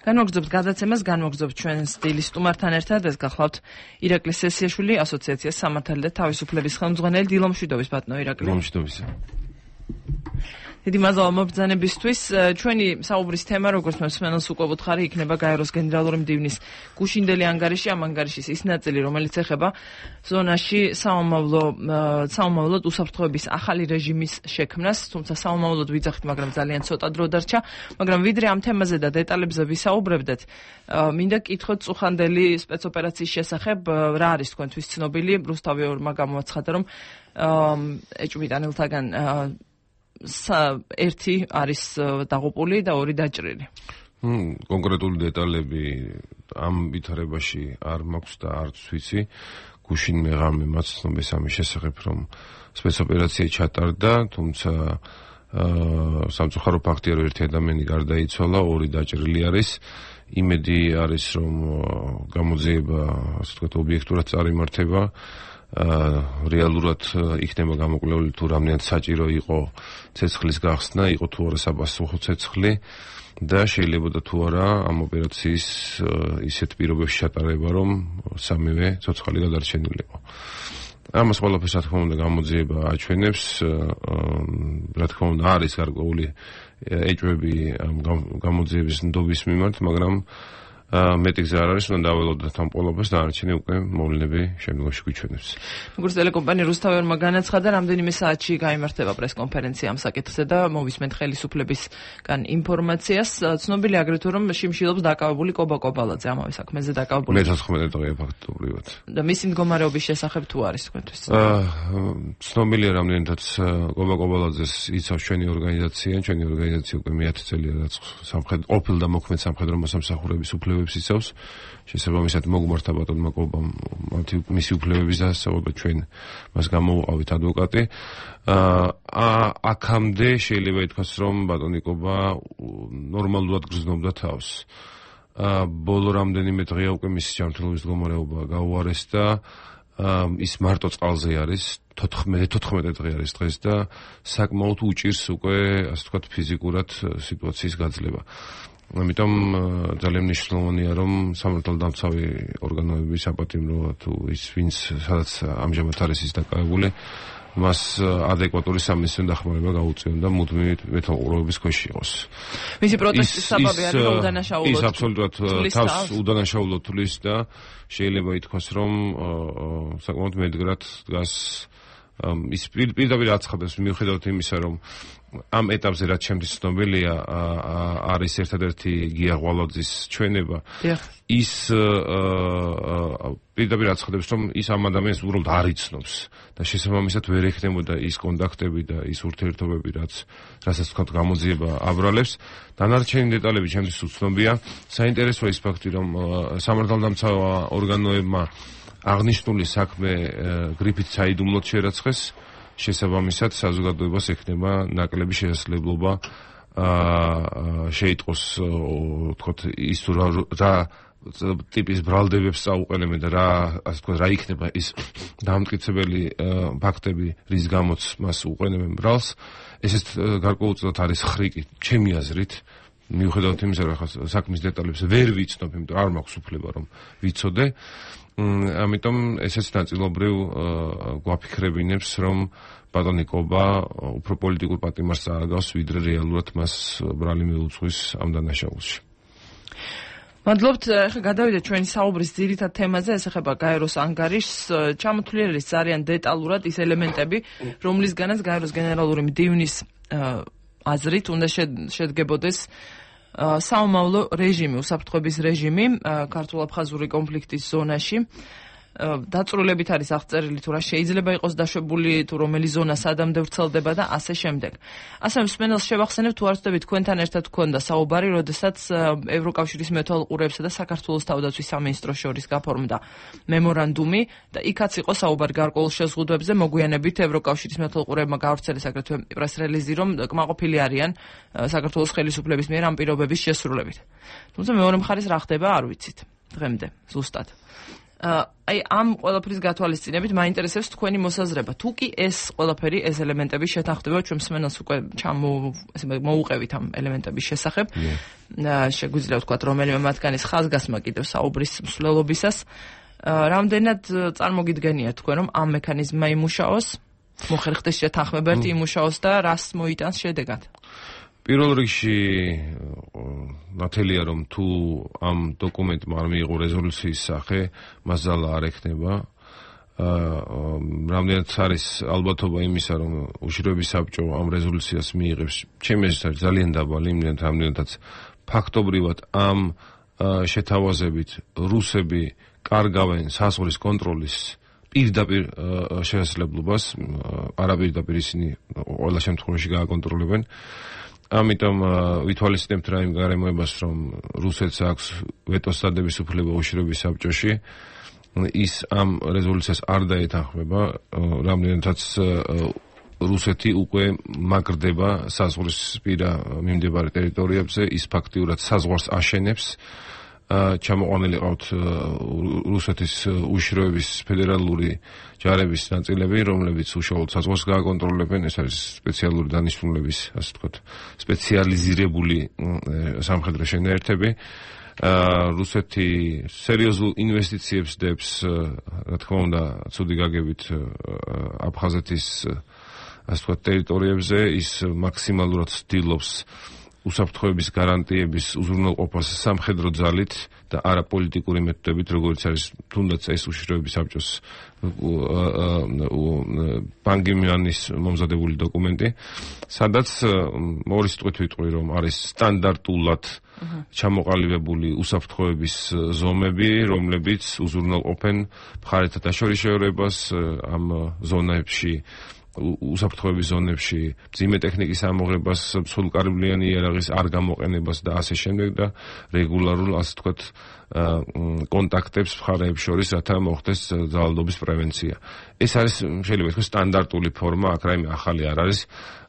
განმოგრძობთ გადაცემას, განმოგრძობთ ჩვენ სტილის სტუმართან ერთად. ეს გახლავთ ირაკლი სესიაშვილი, ასოციაციას სამართალი და თავისუფლების ხელმძღვანელი. დილო მშვიდობის ბატონო ირაკლი. დილო მშვიდობის. დიდი მადლობა მობრძანებისთვის. ჩვენი საუბრის თემა, როგორც მე მსმენელს უკვე ვუთხარი, იქნება გაეროს გენერალური მდივნის გუშინდელი ანგარიში, ამ ანგარიშის ის ნაწილი, რომელიც ეხება ზონაში საომავლოდ უსაფრთხოების ახალი რეჟიმის შექმნას, თუმცა საომავლოდ ვიძახით, მაგრამ ძალიან ცოტა დრო დარჩა. მაგრამ ვიდრე ამ თემაზე და დეტალებზე ვისაუბრებდეთ, მინდა კითხოთ წუხანდელი სპეცოპერაციის შესახებ, რა არის თქვენთვის ცნობილი? რუსთავი ორმა გამოაცხადა, რომ ეჭვმიტანელთაგან ერთი არის დაღუპული და ორი დაჭრილი. კონკრეტული დეტალები ამ ვითარებაში არ მაქვს და არც ვიცი. გუშინ მე ღამე მაცნობეს ამის შესახებ, რომ სპეცოპერაცია ჩატარდა, თუმცა სამწუხარო ფაქტია, რომ ერთი ადამიანი გარდაიცვალა, ორი დაჭრილი არის. იმედი არის, რომ გამოძიება, ასე ვთქვათ, ობიექტურად წარიმართება. რეალურად იქნება გამოკვლეული თუ რამდენად საჭირო იყო ცეცხლის გახსნა, იყო თუ არა საპასუხო ცეცხლი და შეიძლება და თუ არა ამ ოპერაციის ისეთ პირობებში ჩატარება, რომ სამივე ცოცხალი გადარჩენილიყო. ამას ყველაფერს რა თქმა უნდა გამოძიება აჩვენებს, რა თქმა უნდა არის გარკვეული ეჭვები ამ გამოძიების ნდობის მიმართ, მაგრამ მეტი გზა არ არის, უნდა დაველოდოთ ამ ყველაფერს და არჩენი უკვე მოვლენები შემდგომში გვიჩვენებს. როგორც ტელეკომპანია რუსთავი ორმა განაცხადა, რამდენიმე საათში გაიმართება პრესკონფერენცია ამ საკითხზე და მოვისმენთ ხელისუფლებისგან ინფორმაციას. ცნობილია აგრეთვე, რომ შიმშილობს დაკავებული კობა კობალაძე ამავე საქმეზე დაკავებული. მე-14 დღეა ფაქტობრივად. და მისი მდგომარეობის შესახებ თუ არის თქვენთვის? ცნობილია რამდენადაც კობა კობალაძეს იცავს ჩვენი ორგანიზაცია უკვე მე-10 წელია რაც ყოფილ და მოქმედ სამხედრო მოსამსახურების უფლებებს იცავს. შესაბამისად მოგმართა ბატონმა კობამ მისი უფლებების დასწავლა, ჩვენ მას გამოვყავით ადვოკატი. აქამდე შეიძლება ითქვას, რომ ბატონი კობა ნორმალურად გრძნობდა თავს. ბოლო რამდენიმე დღეა უკვე მისი ჯანმრთელობის მდგომარეობა გაუარეს და ის მარტო წყალზე არის, 14 დღე არის დღეს და საკმაოდ უჭირს უკვე, ასე ვთქვათ, ფიზიკურად სიტუაციის გაძლება. ამიტომ ძალიან მნიშვნელოვანია, რომ სამართალდამცავი ორგანოების საპატიმრო თუ ის ვინც სადაც ამჟამად არის ის დაკავებული, მას ადეკვატური სამედიცინო დახმარება გაუწიონ და მუდმივი მეთვალყურეობის ქვეშ იყოს. მისი პროტესტის საბაბი არის, რომ უდანაშაულოდ ის აბსოლუტურად თავს უდანაშაულოდ თulis და შეიძლება ითქვას, რომ საკმაოდ მედგრად დგას ის პირდაპირ აცხადებს მიუხედავად იმისა, რომ ამ ეტაპზე რაც ჩემთვის ცნობილია არის ერთადერთი გია ღვალაძის ჩვენება. ის პირდაპირ აცხადებს, რომ ის ამ ადამიანს უბრალოდ არ იცნობს და შესაბამისად ვერ ექნებოდა ის კონტაქტები და ის ურთიერთობები, რასაც თქვა გამოძიება აბრალებს. დანარჩენი დეტალები ჩემთვის უცნობია. საინტერესოა ის ფაქტი, რომ სამართალდამცავ ორგანოებმა აღნიშნული საქმე გრიფით საიდუმლოდ შერაცხეს. შესაბამისად საზოგადოებას ექნება ნაკლები შესაძლებლობა შეიტყოს, ვთქვათ, ის თუ რა ტიპის ბრალდებებს წაუყენებენ და ასე ვთქვათ, რა იქნება ის დამტკიცებელი ფაქტები, რის გამოც მას უყენებენ ბრალს. ესეც გარკვეულწილად არის ხრიკი, ჩემი აზრით. მიუხედავად იმისა, რომ საქმის დეტალებს ვერ ვიცნობ, იმიტომ არ მაქვს უფლება რომ ვიცოდე. ამიტომ ესეც ნაწილობრივ გვაფიქრებინებს, რომ ბატონი კობა უფრო პოლიტიკურ პატიმარს წააგავს, ვიდრე რეალურად მას ბრალი მიუძღვის ამ დანაშაულში. მადლობთ. ახლა გადავიდეთ ჩვენი საუბრის ძირითად თემაზე, ეს ეხება გაეროს ანგარიშს. ჩამოთვლილი არის ძალიან დეტალურად ის ელემენტები, რომლისგანაც გაეროს გენერალური მდივნის აზრით უნდა შედგებოდეს საომავლო რეჟიმი, უსაფრთხოების რეჟიმი ქართულ-აფხაზური კონფლიქტის ზონაში. დაწვრილებით არის აღწერილი თუ რა შეიძლება იყოს დაშვებული, თუ რომელი ზონა სადამდე ვრცელდება და ასე შემდეგ. ასე მსმენელს შევახსენებ, თუ არ ვწდებით, თქვენთან ერთად გქონდა საუბარი, როდესაც ევროკავშირის მეთვალყურეებსა და საქართველოს თავდაცვის სამინისტროს შორის გაფორმდა მემორანდუმი და იქაც იყო საუბარი გარკვეულ შეზღუდვებზე. მოგვიანებით ევროკავშირის მეთვალყურეებმა გაავრცელეს აგრეთვე პრეს-რელიზი, რომ კმაყოფილი არიან საქართველოს ხელისუფლების მიერ ამ პირობების შესრულებით. თუმცა მეორე მხარეს რა ხდება არ ვიცით დღემდე ზუსტად. აი ამ ყველაფრის გათვალისწინებით მაინტერესებს თქვენი მოსაზრება. თუ კი ეს ყველაფერი, ეს ელემენტები შეთანხმდება ჩვენ მსმენელს უკვე მოუყევით ამ ელემენტების შესახებ. შეგვიძლია ვთქვათ, რომელიმე მათგანის ხაზგასმა კიდევ საუბრის მსვლელობისას. რამდენად წარმოგიდგენია თქვენ, რომ ამ მექანიზმმა იმუშაოს, მოხერხდეს შეთანხმებები იმუშაოს და რას მოიტანს შედეგად? პირველ რიგში ნათელია რომ თუ ამ დოკუმენტმა არ მიიღო რეზოლუციის სახე, მას ძალა არ ექნება. რამდენად არის ალბათობა იმისა, რომ უშიშროების საბჭო ამ რეზოლუციას მიიღებს, ჩემი აზრით არის ძალიან დაბალი, რამდენადაც ფაქტობრივად ამ შეთავაზებით რუსები კარგავენ საზღვრის კონტროლის პირდაპირ შესაძლებლობას, არაპირდაპირ ისინი ყველა შემთხვევაში გააკონტროლებენ. ამიტომ ვითვალისწინებთ რა იმ გარემოებას, რომ რუსეთს აქვს ვეტოს დადების უფლება უშიშროების საბჭოში, ის ამ რეზოლუციას არ დაეთანხმება, რამდენადაც რუსეთი უკვე მაგრდება საზღვრისპირა მიმდებარე ტერიტორიებზე, ის ფაქტიურად საზღვარს აშენებს. ჩამოყვანილი ყავთ რუსეთის უშიშროების ფედერალური ჯარების ნაწილები, რომლებიც უშუალოდ საზღვარს გააკონტროლებენ. ეს არის სპეციალური დანიშნულების, ასე ვთქვათ, სპეციალიზირებული სამხედრო შენაერთები. რუსეთი სერიოზულ ინვესტიციებს დებს, რა თქმა უნდა, ცუდი გაგებით აფხაზეთის, ასე ვთქვათ, ტერიტორიებზე. ის მაქსიმალურად ცდილობს უსაფრთხოების გარანტიების უზრუნველყოფას სამხედრო ძალით და არა პოლიტიკური მეთოდებით, როგორც არის თუნდაც ეს უშიშროების საბჭოს პანგიმიანის მომზადებული დოკუმენტი, სადაც მორის ტყვით ვიტყვი, რომ არის სტანდარტულად ჩამოყალიბებული უსაფრთხოების ზომები, რომლებიც უზრუნველყოფენ მხარეთა დაშორისეურებას ამ ზონებში, უსაფრთხოების ზონებში, მძიმე ტექნიკის ამოღებას, სრულკარიბლიანი იარაღის არ გამოყენებას და ასე შემდეგ და რეგულარულ, ასე ვთქვათ, კონტაქტებს მხარეებს შორის, რათა მოხდეს ძალადობის პრევენცია. ეს არის შეიძლება ითქვას სტანდარტული ფორმა, აქ რაიმე ახალი არ არის.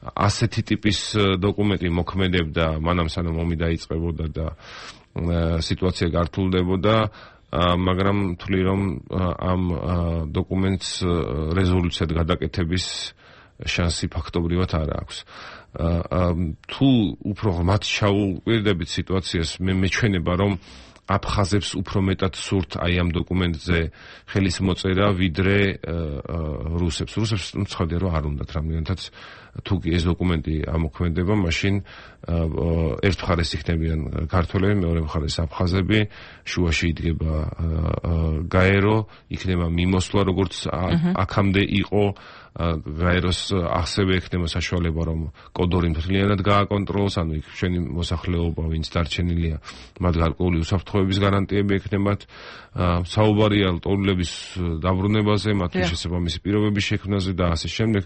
ასეთი ტიპის დოკუმენტი მოქმედებდა მანამ სანამ ომი დაიწყებოდა და სიტუაცია გართულდებოდა. მაგრამ თვლი რომ ამ დოკუმენტს რეზოლუციად გადაკეთების შანსი ფაქტობრივად არ აქვს. თუ უფრო ღრმად ჩაუყვირდებით სიტუაციას, მე მეჩვენება რომ აფხაზებს უფრო მეტად სურთ აი ამ დოკუმენტზე ხელის მოწერა, ვიდრე რუსებს. რუსებს ცხადია რომ არ უნდათ რამდენადაც თუ კი ეს დოკუმენტი ამოქმედება, მაშინ ერთ მხარეს იქნებიან ქართველები, მეორე მხარეს აფხაზები, შუაში იდგება გაერო, იქნება მიმოსვლა, როგორც აქამდე იყო. გაეროს ასევე ექნება საშუალება, რომ კოდორი მთლიანად გააკონტროლოს, ანუ იქ ჩვენი მოსახლეობა, ვინც დარჩენილია, მათ გარკვეული უსაფრთხოების გარანტიები ექნებათ. საუბარია ლტოლვილების დაბრუნებაზე, მათი შესაბამისი პირობების შექმნაზე და ასე შემდეგ.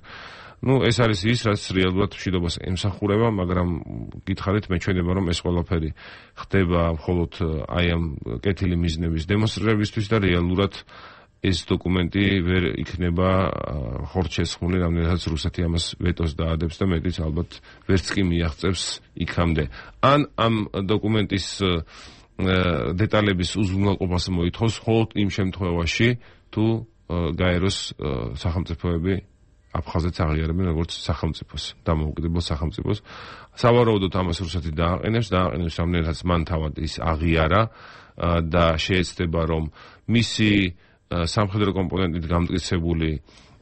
ეს არის ის, რაც რეალურად მშვიდობას ემსახურება, მაგრამ გითხარით, მეჩვენება, რომ ეს ყველაფერი ხდება მხოლოდ აი ამ კეთილი მიზნების დემონსტრირებისთვის და რეალურად ეს დოკუმენტი ვერ იქნება ხორცშესხმული, რამდენადაც რუსეთი ამას ვეტოს დაადებს და მეტიც ალბათ ვერც კი მიაღწევს იქამდე. ან ამ დოკუმენტის დეტალების უზრუნველყოფას მოითხოვს მხოლოდ იმ შემთხვევაში, თუ გაეროს სახელმწიფოები აფხაზეთს აღიარებენ როგორც სახელმწიფოს, დამოუკიდებელ სახელმწიფოს. სავარაუდოდ ამას რუსეთი დააყენებს, რამდენადაც მან თავად ის აღიარა და შეეცდება, რომ მისი სამხედრო კომპონენტით გამტკიცებული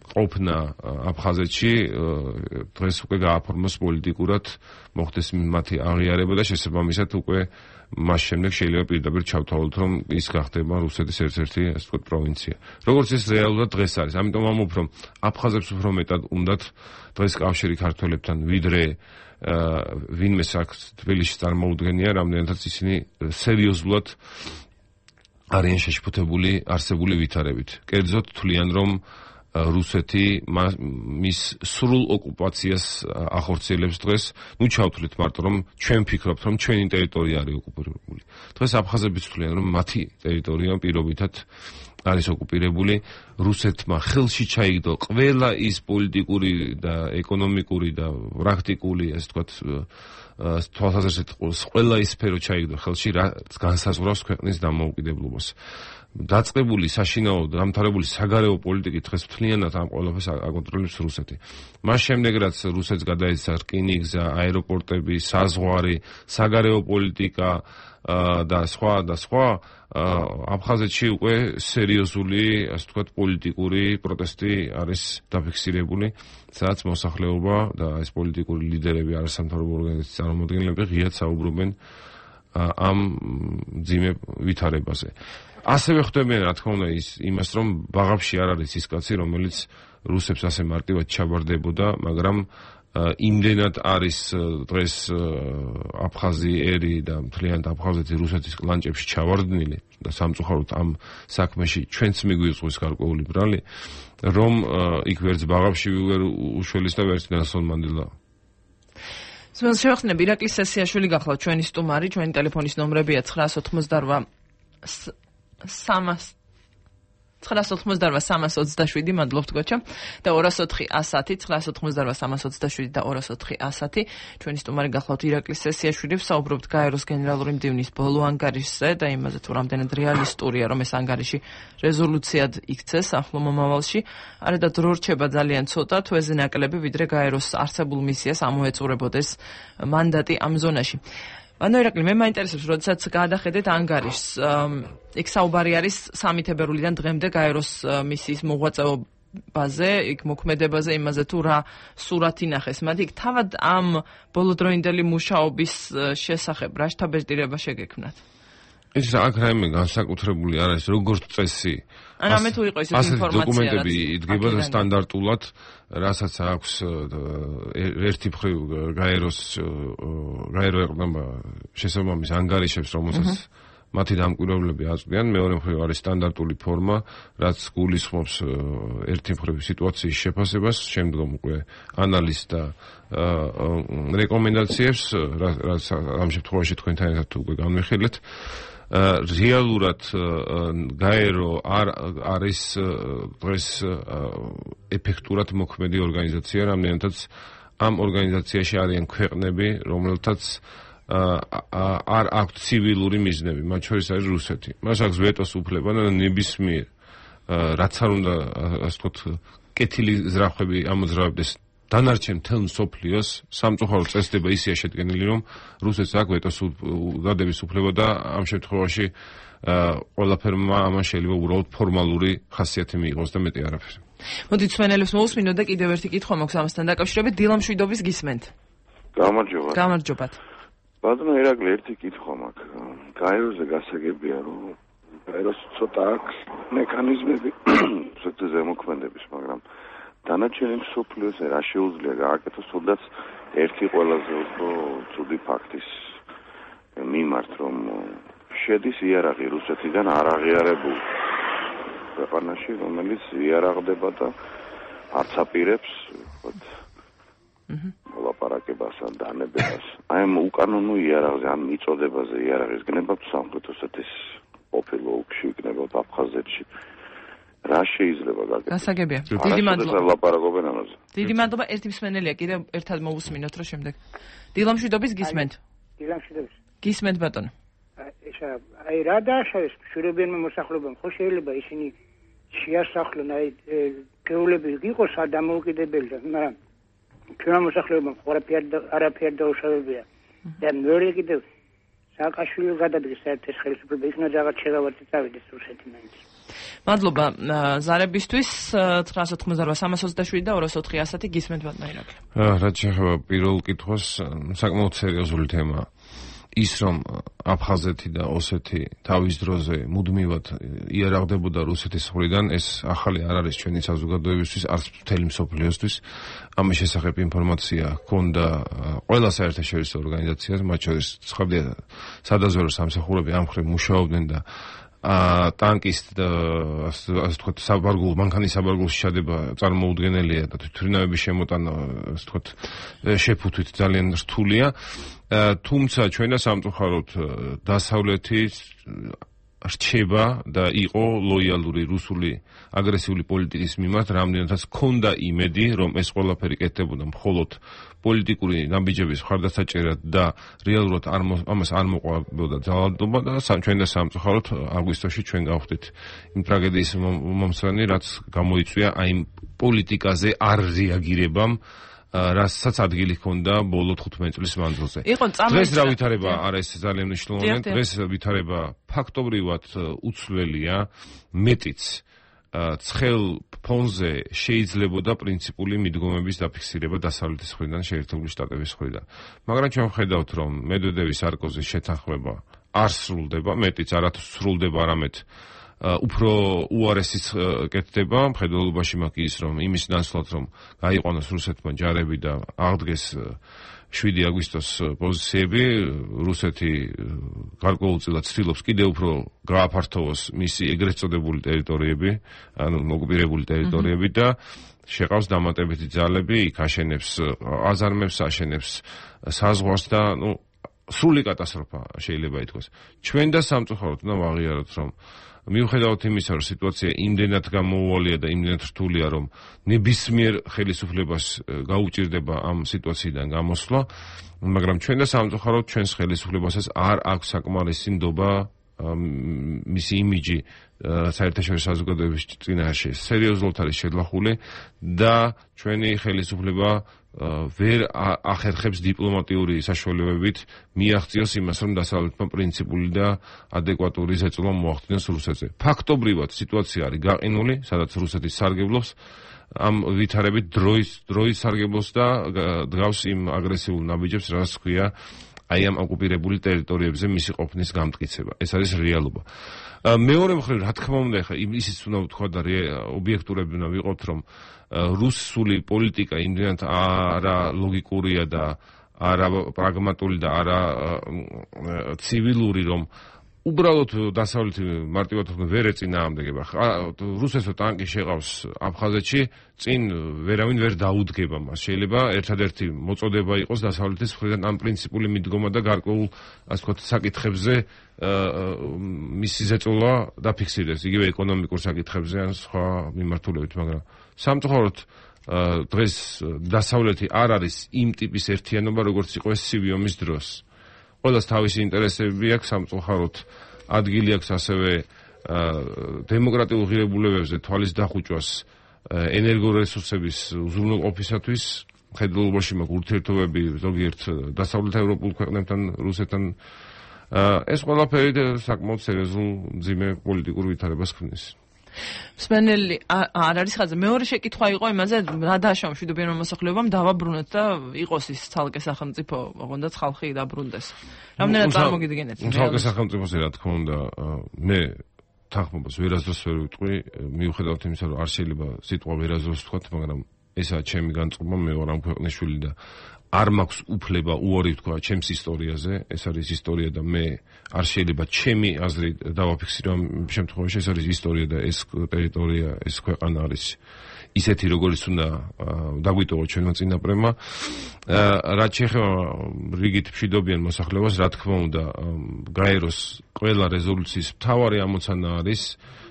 ყოფნა აფხაზეთში დღეს უკვე გააფორმოს პოლიტიკურად, მოხდეს მათი აღიარება და შესაბამისად უკვე მას შემდეგ შეიძლება პირდაპირ ჩავთვალოთ, რომ ის გახდება რუსეთის ერთ-ერთი, ასე ვთქვათ, პროვინცია. როგორც ეს რეალურად დღეს არის. ამიტომ ამბობ, რომ აფხაზებს უფრო მეტად უნდათ დღეს კავშირი ქართველებთან, ვიდრე ვინმე აქ თბილისში წარმოუდგენია, რამდენადაც ისინი სერიოზულად არიან შეშფოთებული არსებული ვითარებით. კერძოდ თვლიან, რომ რუსეთი მის სრულ ოკუპაციას ახორციელებს დღეს. ჩავთვლით მარტო, რომ ჩვენ ვფიქრობთ, რომ ჩვენი ტერიტორია არის ოკუპირებული. დღეს აფხაზებიც თვლიან, რომ მათი ტერიტორია პირობითად არის ოკუპირებული. რუსეთმა ხელში ჩაიგდო ყველა ის პოლიტიკური და ეკონომიკური და პრაქტიკული, ასე ვთქვათ, თვალსაზრისით ყველა ის სფერო ჩაიგდო ხელში, რაც განსაზღვრავს ქვეყნის დამოუკიდებლობას. დაწყებული საშინაო დამთავრებული საგარეო პოლიტიკით დღეს მთლიანად ამ ყველაფერს აკონტროლებს რუსეთი. მას შემდეგ რაც რუსეთს გადაეცა რკინიგზა, აეროპორტები, საზღვარი, საგარეო პოლიტიკა და სხვა აფხაზეთში უკვე სერიოზული, ასე ვთქვათ, პოლიტიკური პროტესტი არის დაფიქსირებული, სადაც მოსახლეობა და ეს პოლიტიკური ლიდერები, არასამთავრობო ორგანიზაციის წარმომადგენლები ღიად საუბრობენ ამ ძიმე ვითარებაზე. ასევე ხვდებიან, რა თქმა უნდა, იმას, რომ ბაღებში არ არის ის კაცი, რომელიც რუსებს ასე მარტივად ჩაბარდებოდა, მაგრამ იმდენად არის დღეს აფხაზიერი და მთლიანად აფხაზეთი რუსეთის კლანჭებში ჩავარდნილი და სამწუხაროდ ამ საქმეში ჩვენც მიგვიწყვის გარკვეული ბრალი, რომ იქ ვერც ბაღებში ვერ უშველის და ვერც ნელსონ მანდელა. შევახსენებ, ირაკლი სესიაშვილი გახლავთ ჩვენი სტუმარი, ჩვენი ტელეფონის ნომრებია 988-327, მადლობთ გოჩა და 204-110, 988-327 და 204-110. ჩვენი სტუმარი გახლავთ ირაკლი სესიაშვილი, ვსაუბრობთ გაეროს გენერალური მდივნის ბოლო ანგარიშზე და იმაზე თუ რამდენად რეალისტურია, რომ ეს ანგარიში რეზოლუციად იქცეს ახლო მომავალში. არა და დრო რჩება ძალიან ცოტა, თუ ეზე ნაკლები, ვიდრე გაეროს არსებულ მისიას ამოეწურებოდეს მანდატი ამ ზონაში. ანუ ირაკლი, მე მაინტერესებს, როდესაც გადახედეთ ანგარიშს, იქ საუბარი არის 3 თებერვლიდან დღემდე გაეროს მისიის მოღვაწეობაზე, იქ მოქმედებაზე, იმაზე თუ რა სურათი ნახეს. მათ იქ თავად ამ ბოლოდროინდელი მუშაობის შესახებ რა შთაბეჭდილება შეგექმნათ? ეს აქ რაიმე განსაკუთრებული არ არის, როგორც წესი. ანუ ამე თუ იყო ეს ინფორმაცია, დოკუმენტები იდგება და სტანდარტულად, რასაც აქვს ერთი მხრივ გაერო ეყრდნობა შესაბამის ანგარიშებს, რომელსაც მათი დამკვირვებლები აწვდიან, მეორე მხრივ არის სტანდარტული ფორმა, რაც გულისხმობს ერთი მხრივ სიტუაციის შეფასებას, შემდგომ უკვე ანალიზს და რეკომენდაციებს, რაც ამ შემთხვევაში თქვენთან ერთად უკვე განვიხილეთ. რეალურად გაერო არ არის დღეს ეფექტურად მოქმედი ორგანიზაცია, რამდენადაც ამ ორგანიზაციაში არიან ქვეყნები, რომელთაც არ აქვთ ცივილური მიზნები, მათ შორის არის რუსეთი. მას აქვს ვეტოს უფლება და ნებისმიერ რაც არ უნდა, ასე ვთქვათ, კეთილი ზრახვები ამოძრავებდეს დანარჩენ მთელ მსოფლიოს, სამწუხაროდ წესდება ისეა შედგენილი, რომ რუსეთს აქვს ვეტოს გადების უფლება და ამ შემთხვევაში ყველაფერმა ამან შეიძლება უბრალოდ ფორმალური ხასიათი მიიღოს და მეტი არაფერი. მოდით მსმენელებს მოусმინოთ და კიდევ ერთი კითხვა მაქვს ამასთან დაკავშირებით. დილამ შვიდობის გისმენთ. გამარჯობათ. ბატონო ირაკლი, ერთი კითხვა მაქვს. გაეროზე გასაგებია, რომ გაეროს ცოტა აქვს მექანიზმები ზემოქმედების, მაგრამ დანარჩენი მსოფლიოს რა შეუძლია გააკეთოს, თუნდაც ერთი ყველაზე უფრო ცუდი ფაქტის მიმართ, რომ შედის იარაღი რუსეთიდან არ აღიარებულ ქვეყანაში, რომელიც იარაღდება და არც აპირებს მოლაპარაკებას ან დანებებას. აი ამ უკანონო იარაღზე, ამ მიწოდებაზე იარაღის გნება სამხრეთ ოსეთის ყოფილ ოლქში, იქნებოდა აფხაზეთში. რა შეიძლება გაკეთდეს? გასაგებია. დიდი მადლობა. ლაპარაკობენ ამაზე. დიდი მადლობა. ერთი მსმენელია, კიდევ ერთად მოусმინოთ რა შემდეგ. დილამ შვიდობის გისმენთ. დილამ შვიდობის. გისმენთ ბატონო. აი რა დააშავეს შურებიანმა მოსახლეობამ, ხო შეიძლება ისინი შეასახლონ, აი გეულები იყოს დამოუკიდებელი, მაგრამ ჩვენმა მოსახლეობამ არაფერი დაუშავებია. და მეორე კიდევ სააკაშვილი გადადგეს საერთო ხელისუფლება, იქნა რაღაც შეღავათი წავიდეს რუსეთი მაინც. მადლობა ზარებისთვის 988-327 და 204-110 გისმენთ ბატონო ირაკლი. რაც შეეხება პირველ კითხვას, საკმაოდ სერიოზული თემაა. ის რომ აფხაზეთი და ოსეთი თავის დროზე მუდმივად იარაღდებოდა რუსეთის მხრიდან, ეს ახალი არ არის ჩვენი საზოგადოებისთვის, არც მთელი მსოფლიოსთვის. ამის შესახებ ინფორმაცია ჰქონდა ყველა საერთაშორისო ორგანიზაციას, მათ შორის სადაზვერვო სამსახურები ამ მხრივ მუშაობდნენ და ტანკის და ასე ვთქვათ მანქანის საბარგულში ჩადება წარმოუდგენელია და თვითმფრინავების შემოტანა ასე ვთქვათ შეფუთვით ძალიან რთულია. თუმცა ჩვენ და სამწუხაროდ დასავლეთის რჩება და იყო ლოიალური რუსული აგრესიული პოლიტიკის მიმართ, რამდენადაც ჰქონდა იმედი, რომ ეს ყველაფერი კეთდებოდა მხოლოდ პოლიტიკური ნაბიჯების მხარდასაჭერად და რეალურად ამას არ მოყვებოდა ძალადობა და ჩვენ და სამწუხაროდ აგვისტოში ჩვენ გავხდით იმ ტრაგედიის მომსვენი, რაც გამოიწვია აი პოლიტიკაზე არ რეაგირებამ, რასაც ადგილი ჰქონდა ბოლო 15 წლის მანძილზე. დღეს რა ვითარება არის ძალიან მნიშვნელოვანი. დღეს ვითარება ფაქტობრივად უცვლელია, მეტიც ცხელ ფონზე შეიძლებოდა პრინციპული მიდგომების დაფიქსირება დასავლეთის მხრიდან, შეერთებული შტატების მხრიდან. მაგრამ ჩვენ ვხედავთ, რომ მედვედევის სარკოზის შეთანხმება არ სრულდება, მეტიც არათუ სრულდება, არამედ უფრო უარესიც კეთდება. მხედველობაში მაქვს ის, რომ იმის ნაცვლად, რომ გაიყვანოს რუსეთმა ჯარები და აღდგეს 7 აგვისტოს პოზიციები, რუსეთი გარკვეულწილად ცდილობს კიდევ უფრო გააფართოვოს მისი ეგრეთ წოდებული ტერიტორიები, ანუ ოკუპირებული ტერიტორიები და შეყავს დამატებითი ძალები, იქ აშენებს აზარმებს, აშენებს საზღვარს და სრული კატასტროფა შეიძლება ითქვას. ჩვენ და სამწუხაროდ უნდა ვაღიაროთ, რომ მიუხედავად იმისა, რომ სიტუაცია იმდენად გამოუვალია და იმდენად რთულია, რომ ნებისმიერ ხელისუფლებას გაუჭირდება ამ სიტუაციიდან გამოსვლა, მაგრამ ჩვენ და სამწუხაროდ ჩვენს ხელისუფლებასაც არ აქვს საკმარისი ნდობა მისი იმიჯი საერთაშორისო საზოგადოების წინაშე სერიოზულად არის შეძლახული და ჩვენი ხელისუფლება ვერ ახერხებს დიპლომატიური საშუალებებით მიაღწიოს იმას, რომ დასავლეთმა პრინციპული და ადეკვატური ზეწოლა მოახდინოს რუსეთზე. ფაქტობრივად სიტუაცია არის გაყინული, სადაც რუსეთი სარგებლობს ამ ვითარებით დროის სარგებლობს და დგავს იმ აგრესიულ ნაბიჯებს, რაც ქვია აი ამ ოკუპირებული ტერიტორიებზე მისი ყოფნის გამტკიცება. ეს არის რეალობა. მეორე მხრივ, რა თქმა უნდა, ხა ისიც უნდა ვთქვა და ობიექტურები უნდა ვიყოთ, რომ რუსული პოლიტიკა იმდენად არა ლოგიკურია და არა პრაგმატული და არა ცივილური, რომ უბრალოდ დასავლეთი მარტივად ვერ ეწინააღმდეგება. რუსეთო ტანკი შეყავს აფხაზეთში, წინ ვერავინ ვერ დაუდგება მას. შეიძლება ერთადერთი მოწოდება იყოს დასავლეთის მხრიდან ამ პრინციპული მიდგომა და გარკვეულ, ასე ვთქვათ, საკითხებზე მისი ზეწოლა დაფიქსირდეს, იგივე ეკონომიკურ საკითხებზე ან სხვა მიმართულებით, მაგრამ სამწუხაროდ დღეს დასავლეთი არ არის იმ ტიპის ერთიანობა, როგორც იყო ეს ცივი ომის დროს. ყველას თავისი ინტერესები აქვს, სამწუხაროდ ადგილი აქვს ასევე დემოკრატიულ ღირებულებებზე თვალის დახუჭვას ენერგორესურსების უზრუნველყოფისათვის. მხედველობაში მაქვს ურთიერთობები ზოგიერთ დასავლეთ ევროპულ ქვეყნებთან, რუსეთთან. ეს ყველაფერი საკმაოდ სერიოზულ მძიმე პოლიტიკურ ვითარებას ქმნის. მსმენელი არ არის ხაზი. მეორე შეკითხვა იყო იმაზე, რა დააშავა მშვიდობიანმა მოსახლეობამ დავაბრუნოთ და იყოს ის ცალკე სახელმწიფო, ოღონდაც ხალხი დაბრუნდეს. რამდენად წარმოგიდგენთ? ცალკე სახელმწიფოზე რა თქმა უნდა, მე თანხმობას ვერასდროს ვერ ვიტყვი, მიუხედავად იმისა, რომ არ შეიძლება სიტყვა ვერასდროს ვთქვათ, მაგრამ ესაა ჩემი განწყობა, მე ვარ ამ ქვეყნის შვილი და არ მაქვს უფლება უარი ვთქვა ჩემს ისტორიაზე, ეს არის ისტორია და მე არ შეიძლება ჩემი აზრი დავაფიქსირო ამ შემთხვევაში, ეს არის ისტორია და ეს ტერიტორია, ეს ქვეყანა არის ისეთი, როგორც უნდა დაგვიტოვო ჩვენმა წინაპრებმა. რაც შეეხება რიგით მშვიდობიან მოსახლეობას, რა თქმა უნდა, გაეროს ყველა რეზოლუციის მთავარი ამოცანა არის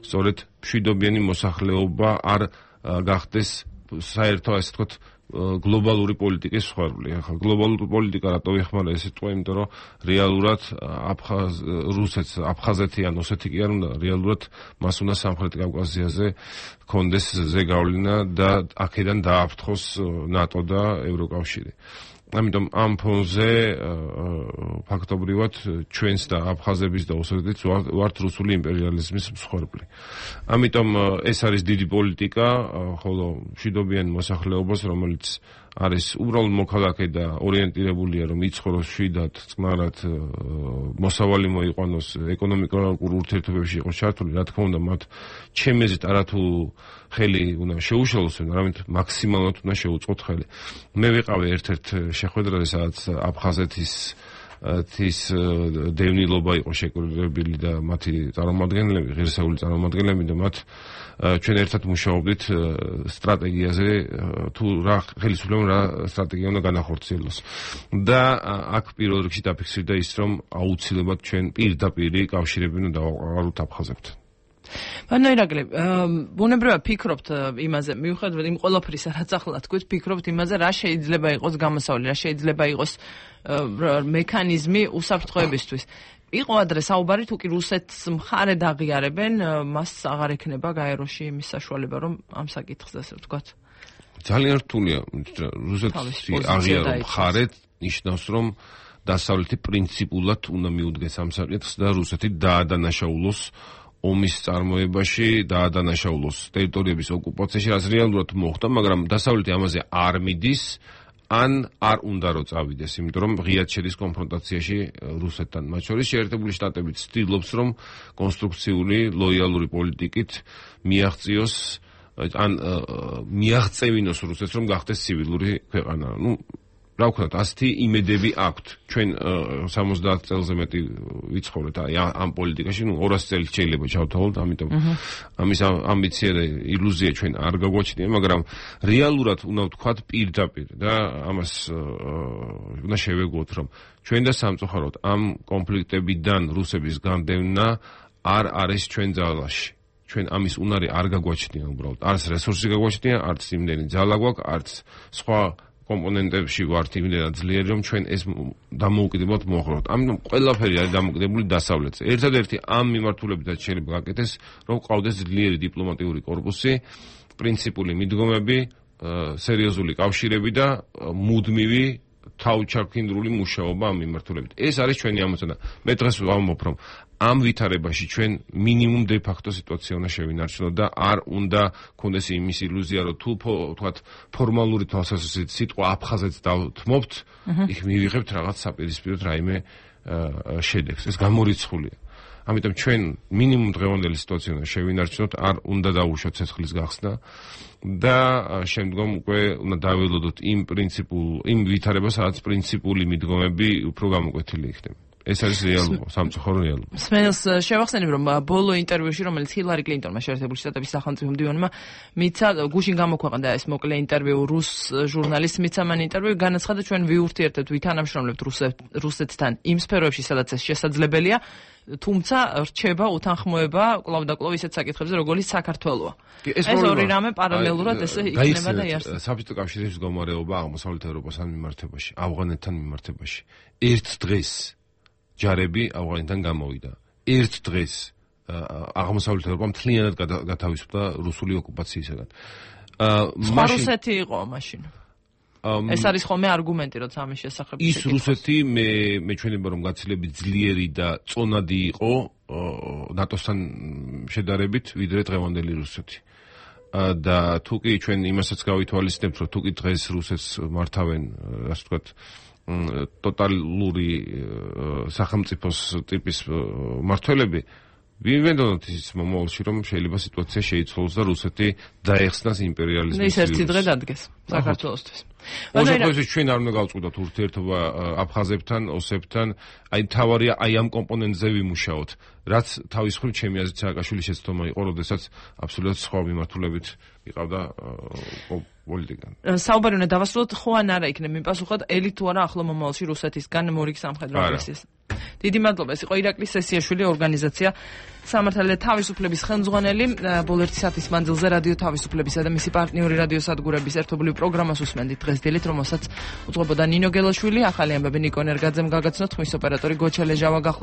სწორედ მშვიდობიანი მოსახლეობა არ გახდეს საერთო, ასე ვთქვათ, გლობალური პოლიტიკის მსხვერპლი. ახლა გლობალური პოლიტიკა რატო ეხმარა ეს სიტყვა, იმიტომ რომ რეალურად რუსეთს, აფხაზეთი ან ოსეთი კი არ უნდა, რეალურად მას უნდა სამხრეთ კავკასიაზე კონდეს ზეგავლენა და აქედან დააფრთხოს ნატო და ევროკავშირი. ამიტომ ამ ფონზე ფაქტობრივად ჩვენს და აფხაზების და ოსეთის ვართ რუსული იმპერიალიზმის მსხვერპლი. ამიტომ ეს არის დიდი პოლიტიკა, ხოლო მშვიდობიან მოსახლეობას, რომელიც არის უბრალოდ მოქალაქე და ორიენტირებულია, რომ იცხოვროს მშვიდად, წყნარად, მოსავალი მოიყვანოს, ეკონომიკურ ურთიერთობებში იყოს ჩართული, რა თქმა უნდა, მათ ჩემი აზრით არათუ ხელი უნდა შეუშალოს, არამედ მაქსიმალურად უნდა შეუწყოთ ხელი. მე ვიყავი ერთ-ერთ შეხვედრაზე, სადაც აფხაზეთის ის დევნილობა იყო შეკრებილი და მათი წარმომადგენლები, ღირსეული წარმომადგენლები და მათ ჩვენ ერთად მუშაობდით სტრატეგიაზე თუ რა ხელისუფლებამ რა სტრატეგია უნდა განახორციელოს. და აქ პირველ რიგში დაფიქსირდა ის, რომ აუცილებლად ჩვენ პირდაპირ კავშირები უნდა დავაყაროთ აფხაზებთან. ბანო ირაკლი, ბუნებრივად ფიქრობთ იმაზე, მიუხედავად იმ ყველაფრისა, რაც ახლა თქვით, ფიქრობთ იმაზე, რა შეიძლება იყოს გამოსავალი, რა შეიძლება იყოს მექანიზმი უსაფრთხოებისთვის. იყო ადრე საუბარი, თუ კი რუსეთს მხარე დაღიარებენ, მას აღარ ექნება გაეროში იმის საშუალება, რომ ამ საკითხზე ასე ვთქვათ. ძალიან რთულია, რუსეთს აღიარო მხარე ნიშნავს, რომ დასავლეთი პრინციპულად უნდა მიუდგეს ამ საკითხს და რუსეთი დაადანაშაულოს ომის წარმოებაში, დაადანაშაულოს ტერიტორიების ოკუპაციაში, რაც რეალურად მოხდა, მაგრამ დასავლეთი ამაზე არ მიდის, ან არ უნდა რომ წავიდეს, იმიტომ რომ ღიად შედის კონფრონტაციაში რუსეთთან. მათ შორის შეერთებული შტატები ცდილობს, რომ კონსტრუქციული, ლოიალური პოლიტიკით მიაღწიოს ან მიაღწევინოს რუსეთს, რომ გახდეს ცივილური ქვეყანა. რა ვქნათ, ასეთი იმედები აქვთ. ჩვენ 70 წელზე მეტი ვიცხოვრეთ ამ პოლიტიკაში, 200 წელი შეიძლება ჩავთვალოთ, ამიტომ ამის ამბიცია და ილუზია ჩვენ არ გაგვაჩნია, მაგრამ რეალურად უნდა ვთქვათ პირდაპირ და ამას უნდა შევეგოთ, რომ ჩვენ და სამწუხაროდ ამ კონფლიქტებიდან რუსების განდევნა არ არის ჩვენ ძალაში. ჩვენ ამის უნარი არ გაგვაჩნია უბრალოდ. არც რესურსი გაგვაჩნია, არც იმდენი ძალა გვაქვს, არც სხვა კომპონენტებში ვართ იმდენად ძლიერი, რომ ჩვენ ეს დამოუკიდებლად მოხდეთ. ამიტომ ყველაფერი არის დამოკიდებული დასავლეთზე. ერთადერთი ამ მიმართულებითაც შეიძლება გაკეთდეს, რომ ყავდეს ძლიერი დიპლომატიური კორპუსი, პრინციპული მიდგომები, სერიოზული კავშირები და მუდმივი თავჩარქინდრული მუშაობა ამ მიმართულებით. ეს არის ჩვენი ამოცანა. მე დღეს ვამბობ, რომ ამ ვითარებაში ჩვენ მინიმუმ დე ფაქტო სიტუაცია უნდა შევინარჩუნოთ და არ უნდა გქონდეს იმის ილუზია, რომ თუ თქვათ ფორმალური თვალსაზრისით სიტყვა აფხაზეთს დავთმობთ, იქ მივიღებთ რაღაც საპირისპიროდ რაიმე შედეგს. ეს გამორიცხულია. ამიტომ ჩვენ მინიმუმ დღევანდელი სიტუაცია უნდა შევინარჩუნოთ, არ უნდა დავუშვათ ცეცხლის გახსნა და შემდგომ უკვე უნდა დაველოდოთ იმ ვითარებას, სადაც პრინციპული მიდგომები უფრო გამოკვეთილი იქნება. ეს არის რეალობა, სამწუხარო რეალობა. სმენელს შევახსენებ, რომ ბოლო ინტერვიუში, რომელიც ჰილარი კლინტონმა შეერთებული შტატების სახელმწიფო მდივანმა მიცა, გუშინ გამოქვეყნდა ეს მოკლე ინტერვიუ რუს ჟურნალისტს მიცა მან ინტერვიუ, განაცხადა ჩვენ ვიურთიერთებთ, ვითანამშრომლებთ რუსეთთან იმ სფეროებში, სადაც ეს შესაძლებელია, თუმცა რჩება უთანხმოება კვლავ და კვლავ ისეთ საკითხებზე, როგორც საქართველოა. ეს ორი რამე პარალელურად ესე იქნება და იარსება. საბჭოთა კავშირის მდგომარეობა აღმოსავლეთ ევროპასთან მიმართებაში, ავღანეთთან მიმართებაში. ერთ დღეს ჯარები ავღანეთიდან გამოვიდა. ერთ დღეს აღმოსავლეთ ევროპა მთლიანად გათავისუფლდა რუსული ოკუპაციისაგან. რუსეთი იყო მაშინ. ეს არის ხოლმე არგუმენტი, როცა ამის შესახებ ის რუსეთი მე ჩვენება რომ გაცილებით ძლიერი და წონადი იყო ნატოსთან შედარებით, ვიდრე დღევანდელი რუსეთი. და თუ კი ჩვენ იმასაც გავითვალისწინებთ, რომ თუ კი დღეს რუსეთს მართავენ, ასე ვთქვათ, ტოტალური სახელმწიფოს ტიპის მმართველები, ვიმედოვნოთ ის მომავალში, რომ შეიძლება სიტუაცია შეიცვალოს და რუსეთი დაეხსნას იმპერიალიზმის. ის ერთი დღე დადგეს საქართველოსთვის. მოსახლეობის ჩვენ არ უნდა გავწყვიტოთ ურთიერთობა აფხაზებთან, ოსებთან, აი თავარია აი ამ კომპონენტზე ვიმუშაოთ, რაც თავის მხრივ ჩემი აზრით სააკაშვილის შეცდომა იყო, როდესაც აბსოლუტურად სხვა მიმართულებით იყავდა პოლიტიკა. საუბარი უნდა დავასრულოთ, ხო ან არა იქნება მიპასუხოთ, ელი თუ არა ახლო მომავალში რუსეთისგან მორიგ სამხედრო აგრესიას. დიდი მადლობა, ეს იყო ირაკლი სესიაშვილი, ორგანიზაცია სამართალი და თავისუფლების ხელმძღვანელი. ბოლო 1 საათის მანძილზე რადიო თავისუფლებისა და მისი პარტნიორი რადიო სადგურების ერთობლივ პროგრამას უსმენდით დღეს დილით, რომელსაც უძღვებოდა ნინო გელაშვილი, ახალი ამბები ნიკო ნერგაძემ გაგაცნოთ, ხმის ოპერატორი გოჩა ლეჟავა გახლა.